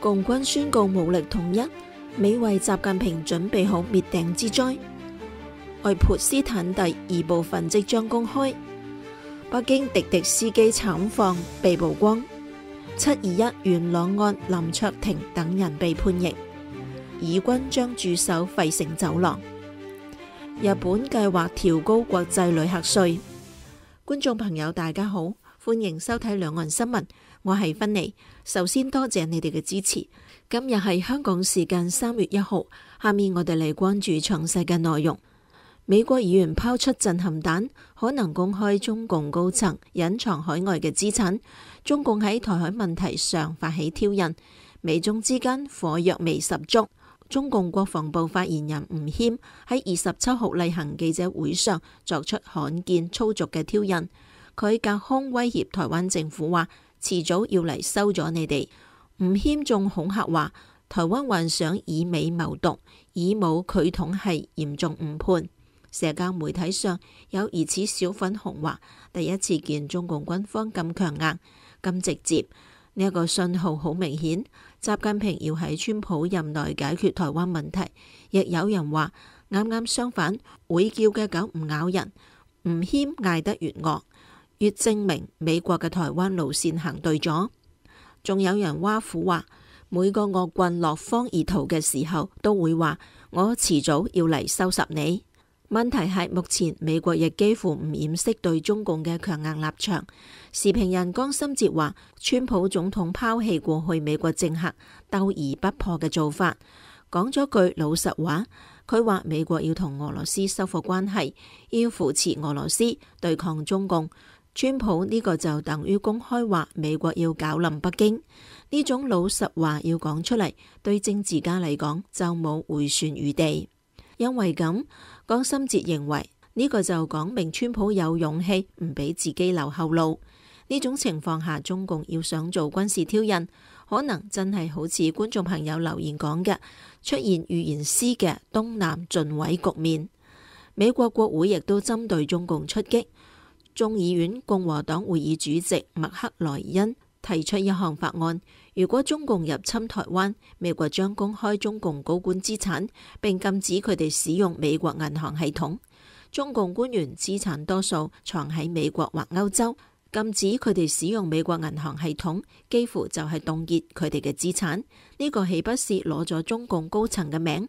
共軍宣告武力統一，美為習近平準備好滅頂之災。愛潑斯坦第2部分即將公開。北京滴滴司機慘況被曝光。721元朗案林卓廷等人被判刑。以軍將駐守費城走廊。日本計劃調高國際旅客稅。觀眾朋友大家好，歡迎收睇兩岸新聞，我係芬妮。首先多謝你哋嘅支持。今日係香港時間3月1號，下面我哋嚟關注詳細嘅內容。美國議員拋出震撼彈，可能公開中共高層隱藏海外嘅資產。中共喺台海問題上發起挑釁，美中之間火藥味十足。中共國防部發言人吳謙喺27號例行記者會上作出罕見粗俗嘅挑釁，佢隔空威脅台灣政府話，遲早要嚟收咗你哋。吳謙仲恐嚇話，台灣幻想以美謀獨，以武拒統係嚴重誤判。社交媒體上有疑似小粉紅話，第一次見中共軍方咁強硬、咁直接。呢一個信號好明顯，習近平要喺川普任內解決台灣問題。亦有人話，啱啱相反，會叫嘅狗唔咬人。吳謙嗌得越惡，越證明美國嘅台灣路線行對咗。仲有人挖苦話，每個惡棍落荒而逃嘅時候，都會話我遲早要嚟收拾你。問題係目前美國亦幾乎唔掩飾對中共嘅強硬立場。時評人江心哲話，川普總統拋棄過去美國政客鬥而不破嘅做法，講咗句老實話。佢話美國要同俄羅斯修復關係，要扶持俄羅斯對抗中共。川普呢個就等於公開話美國要搞冧北京。呢種老實話要講出嚟，對政治家嚟講就冇回旋餘地。因為咁，江心哲認為呢個就講明川普有勇氣唔俾自己留後路。呢種情況下，中共要想做軍事挑釁，可能真係好似觀眾朋友留言講嘅，出現預言師嘅東南盡毀局面。美國國會亦都針對中共出擊。眾議院共和黨會議主席麥克萊恩提出一項法案，如果中共入侵台灣，美國將公開中共高官資產，並禁止佢哋使用美國銀行系統。中共官員資產多數藏喺美國或歐洲，禁止佢哋使用美國銀行系統，幾乎就係凍結佢哋嘅資產。呢個豈不是攞咗中共高層嘅名？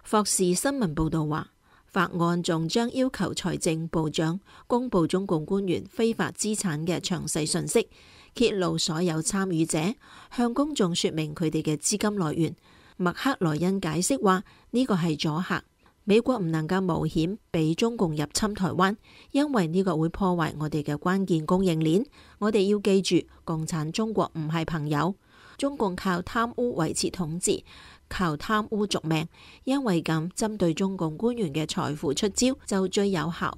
霍士新聞報道話，法案仲將要求財政部長公布中共官員非法資產嘅詳細信息，揭露所有參與者，向公眾說明佢哋嘅資金來源。麥克萊恩解釋話，呢個係阻嚇，美國唔能夠冒險俾中共入侵台灣，因為呢個會破壞我哋嘅關鍵供應鏈。我哋要記住，共產中國唔係朋友，中共靠貪污維持統治，靠貪污續命。因為咁，針對中共官員嘅財富出招就最有效。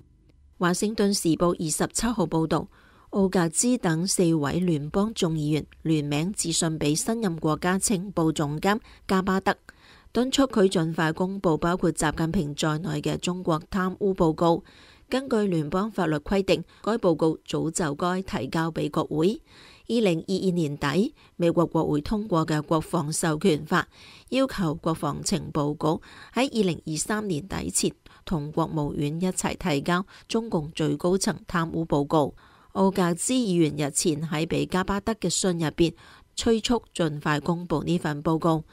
華盛頓時報27號報道，奧格茲等4位聯邦眾議員聯名致信俾新任國家情報總監加巴德，敦促佢盡快公布包括習近平在內嘅中國貪污報告。根據聯邦法律規定，該報告早就該提交俾國會。2022年底，美國國會通過嘅國防授權法，要求國防情報局喺2023年底前同國務院一齊提交中共最高層貪污報告。奧格茲議員日前喺俾加巴德嘅信入邊催促盡快公布呢份報告。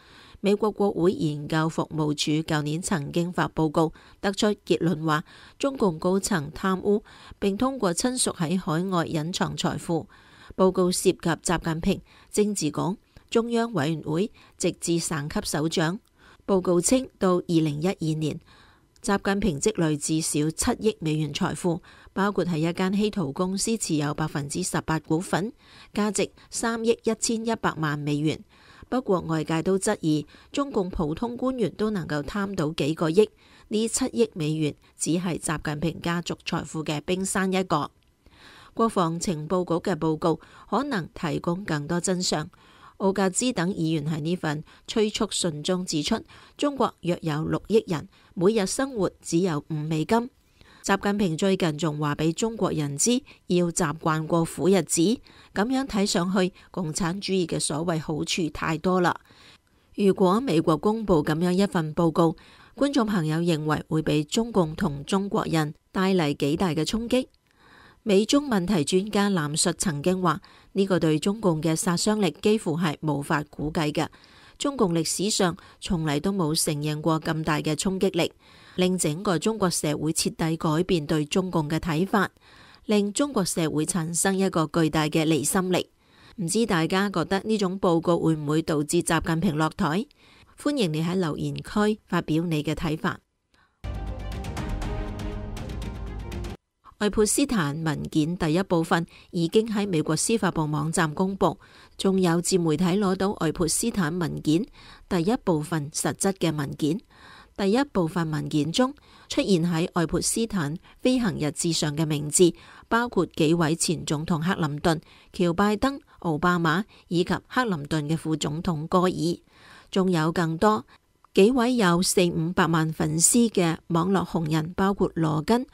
美國國會研究服務處舊年曾經發報告，得出結論話中共高層貪污，並通過親屬喺海外隱藏財富。報告涉及習近平、政治局、中央委員會，直至省級首長。報告稱，到2012年，習近平積累至少7億美元財富，包括喺一間稀土公司持有18%股份，價值3億1100萬美元。不過外界都質疑，中共普通官員都能夠貪到幾個億，呢7億美元只係習近平家族財富嘅冰山一角。國防情報局嘅報告可能提供更多真相。奧格茲等議員喺呢份催促信中指出，中國約有6億人，每日生活只有5美金。習近平最近仲話俾中國人知，要習慣過苦日子。咁樣睇上去，共產主義嘅所謂好處太多啦。如果美國公布咁樣一份報告，觀眾朋友認為會俾中共同中國人帶嚟幾大嘅衝擊？美中問題專家藍述曾經話：呢個對中共嘅殺傷力幾乎係無法估計嘅。中共歷史上從嚟都冇承認過咁大嘅衝擊力，令整個中國社會徹底改變對中共嘅睇法，令中國社會產生一個巨大嘅離心力。唔知大家覺得呢種報告會唔會導致習近平落台？歡迎你喺留言區發表你嘅睇法。愛潑斯坦文件第一部分已經喺美國司法部網站公布，仲有自媒體攞到愛潑斯坦文件第一部分實質嘅文件。第一部分文件中出現喺愛潑斯坦飛行日誌上嘅名字，包括幾位前總統克林頓、喬拜登、奧巴馬以及克林頓嘅副總統戈爾，仲有更多幾位有400-500萬粉絲嘅網絡紅人，包括羅根、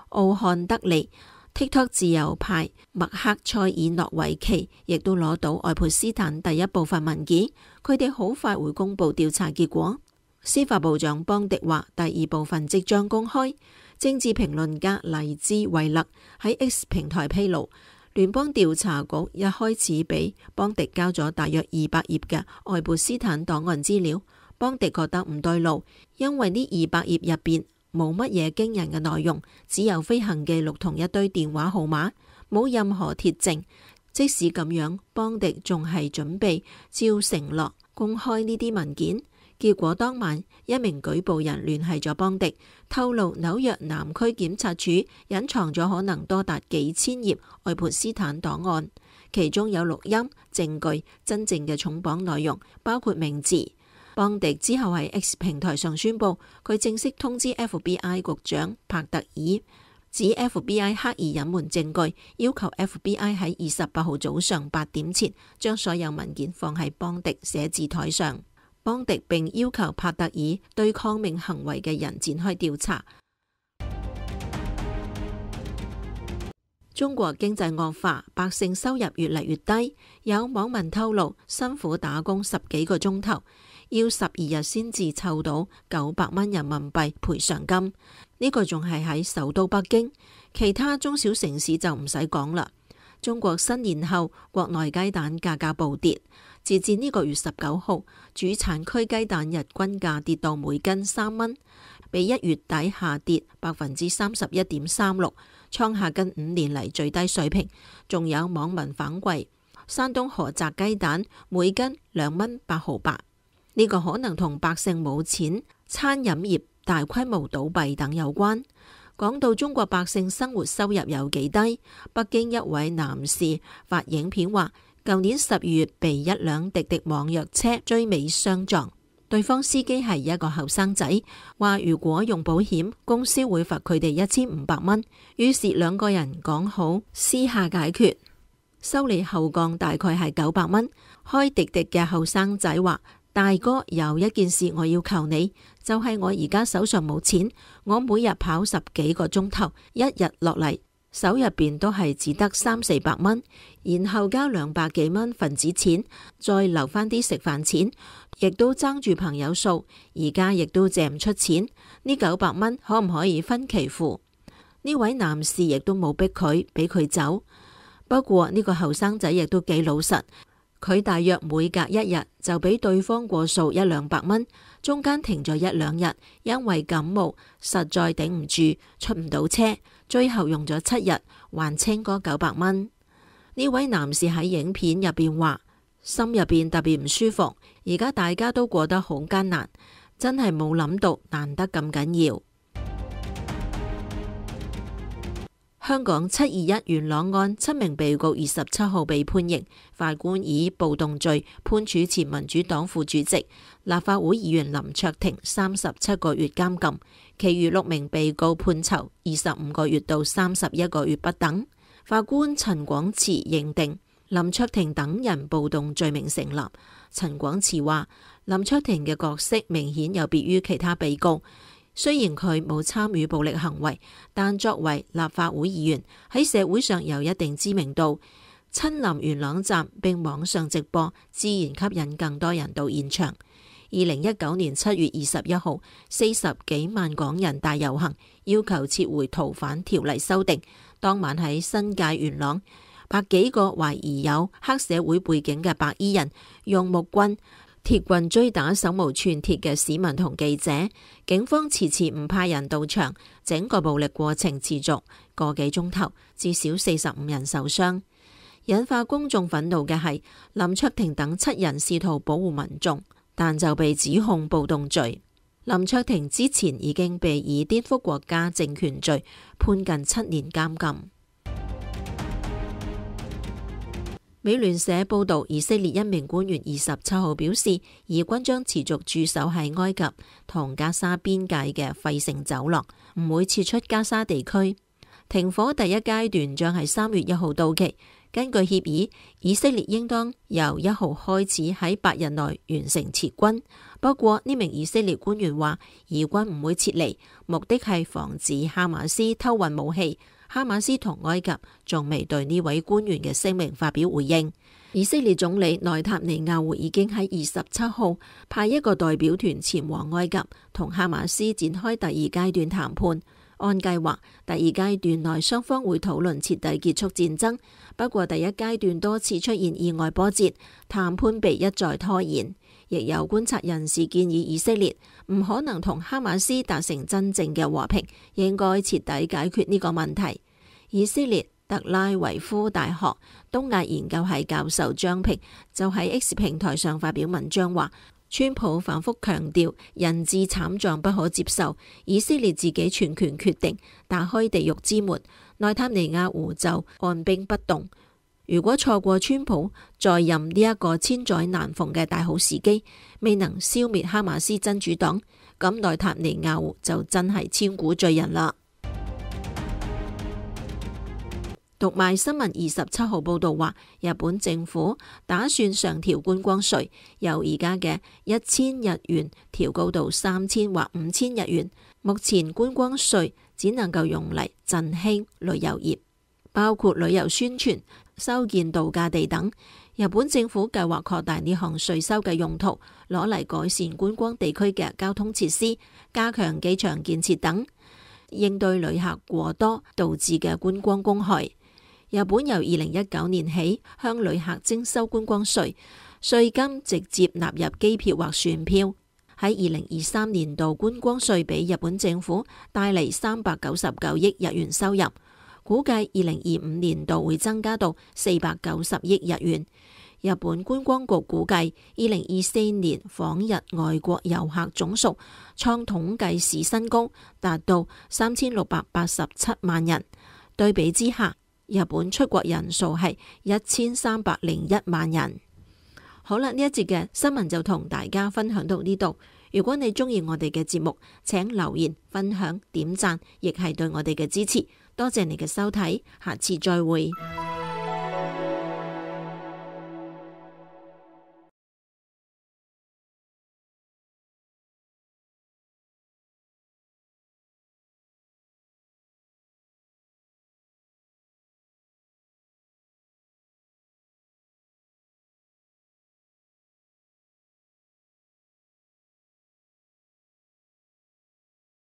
奧漢德利、TikTok 自由派麥克塞爾諾維奇，亦都攞到愛潑斯坦第一部分文件。佢哋好快會公布調查結果。司法部長邦迪話，第二部分即將公開。政治評論家黎茲維勒喺 X 平台披露，聯邦調查局一開始俾邦迪交咗大約200頁嘅愛潑斯坦檔案資料。邦迪覺得唔對路，因為呢200頁入邊冇乜嘢驚人嘅內容，只有飛行記錄同一堆電話號碼，冇任何鐵證。即使咁樣，邦迪仲係準備照承諾公開呢啲文件。結果當晚，一名舉報人聯繫咗邦迪，透露紐約南區檢察署隱藏咗可能多達幾千頁愛潑斯坦檔案，其中有錄音、證據、真正嘅重磅內容，包括名字。邦迪之後喺 X 平台上宣布，佢正式通知 FBI 局長帕特爾，指 FBI 刻意隱瞞證據，要求 FBI 喺28號早上8點前將所有文件放喺邦迪寫字台上。邦迪並要求帕特爾對抗命行為嘅人展開調查。中國經濟惡化，百姓收入越嚟越低，有網民透露，辛苦打工10幾個鐘頭，要12日先至湊到900蚊人民幣賠償金。呢個仲係喺首都北京，其他中小城市就唔使講啦。中國新年後，國內雞蛋價格暴跌。截至呢個月19號，主產區雞蛋日均價跌到每斤3蚊，比1月底下跌31.36%，創下近5年嚟最低水平。仲有網民反饋，山東菏澤雞蛋每斤2蚊8毫8，呢個可能同百姓冇錢、餐飲業大規模倒閉等有關。講到中國百姓生活收入有幾低，北京一位男士發影片話，舊年12月被一輛滴滴網約車追尾相撞，對方司機係一個後生仔，話如果用保險，公司會罰佢哋1500蚊。於是兩個人講好私下解決，修理後降大概係900蚊。開滴滴嘅後生仔話，大哥，有一件事我要求你，就係我而家手上冇錢，我每日跑10幾個鐘頭，一日落嚟手入邊都係只得300-400蚊，然後交200幾蚊份子錢，再留翻啲食飯錢，亦都爭住朋友數，而家亦都借唔出錢，呢900蚊可唔可以分期付？呢位男士亦都冇逼佢，俾佢走。不過呢個後生仔亦都幾老實，佢大約每隔1日就俾對方過數100-200蚊，中間停咗1-2日，因為感冒實在頂唔住，出唔到車，最後用咗7日還清嗰900蚊。呢位男士喺影片入邊話，心入邊特別唔舒服，而家大家都過得好艱難，真係冇諗到難得咁緊要。香港721元朗案7名被告27號被判刑，法官以暴動罪判處前民主黨副主席、立法會議員林卓廷37個月監禁，其餘6名被告判囚25個月到31個月不等。法官陳廣慈認定林卓廷等人暴動罪名成立。陳廣慈話，林卓廷嘅角色明顯有別於其他被告。雖然佢冇參與暴力行為，但作為立法會議員喺社會上有一定知名度，親臨元朗站並網上直播，自然吸引更多人到現場。2019年7月21號40幾萬港人大遊行，要求撤回逃犯條例修訂。當晚喺新界元朗，百幾個懷疑有黑社會背景嘅白衣人用木棍、鐵棍追打手無寸鐵嘅市民同記者，警方遲遲唔派人到場，整個暴力過程持續個幾鐘頭，至少45人受傷。引發公眾憤怒嘅係林卓廷等7人試圖保護民眾，但就被指控暴動罪。林卓廷之前已經被以顛覆國家政權罪判近7年監禁。美聯社報道，以色列一名官員27號表示，以軍將持續駐守喺埃及同加沙邊界嘅費城走廊，唔會撤出加沙地區。停火第一階段將喺3月1號到期。根據協議，以色列應當由1號開始喺8日內完成撤軍。不過呢名以色列官員話，以軍唔會撤離，目的係防止哈馬斯偷運武器。哈馬斯同埃及仲未對呢位官員嘅聲明發表回應。以色列總理內塔尼亞胡已經喺27號派一個代表團前往埃及，同哈馬斯展開第二階段談判。按計劃，第二階段內雙方會討論徹底結束戰爭。不過第一階段多次出現意外波折，談判被一再拖延。亦有觀察人士建議以色列唔可能同哈馬斯達成真正嘅和平，應該徹底解決呢個問題。以色列特拉維夫大學東亞研究系教授張平就喺 X 平台上發表文章話，川普反覆強調人質慘狀不可接受，以色列自己全權決定打開地獄之門，內塔尼亞胡就按兵不動。如果錯過川普在任呢一個千載難逢嘅大好時機，未能消滅哈馬斯真主黨，咁內塔尼亞胡就真係千古罪人啦。讀賣新聞27號報道話，日本政府打算上調觀光稅，由而家嘅1000日元調高到3000或5000日元。目前觀光稅只能夠用嚟振興旅遊業，包括旅遊宣傳、修建度假地等。日本政府計劃擴大呢項稅收嘅用途，攞嚟改善觀光地區嘅交通設施，加強機場建設等，應對旅客過多導致嘅觀光公害。日本由2019年起向旅客徵收觀光稅，稅金直接納入機票或船票。喺2023年度，觀光稅俾日本政府帶嚟399億日元收入，估計2025年度會增加到490億日元。日本觀光局估計2024年訪日外國遊客總數創統計史新高，達到3687萬人。對比之下，日本出國人數係1301萬人。好啦，呢一節嘅新聞就同大家分享到呢度。如果你中意我哋嘅節目，請留言、分享、點讚，亦係對我哋嘅支持。多謝你嘅收睇，下次再會。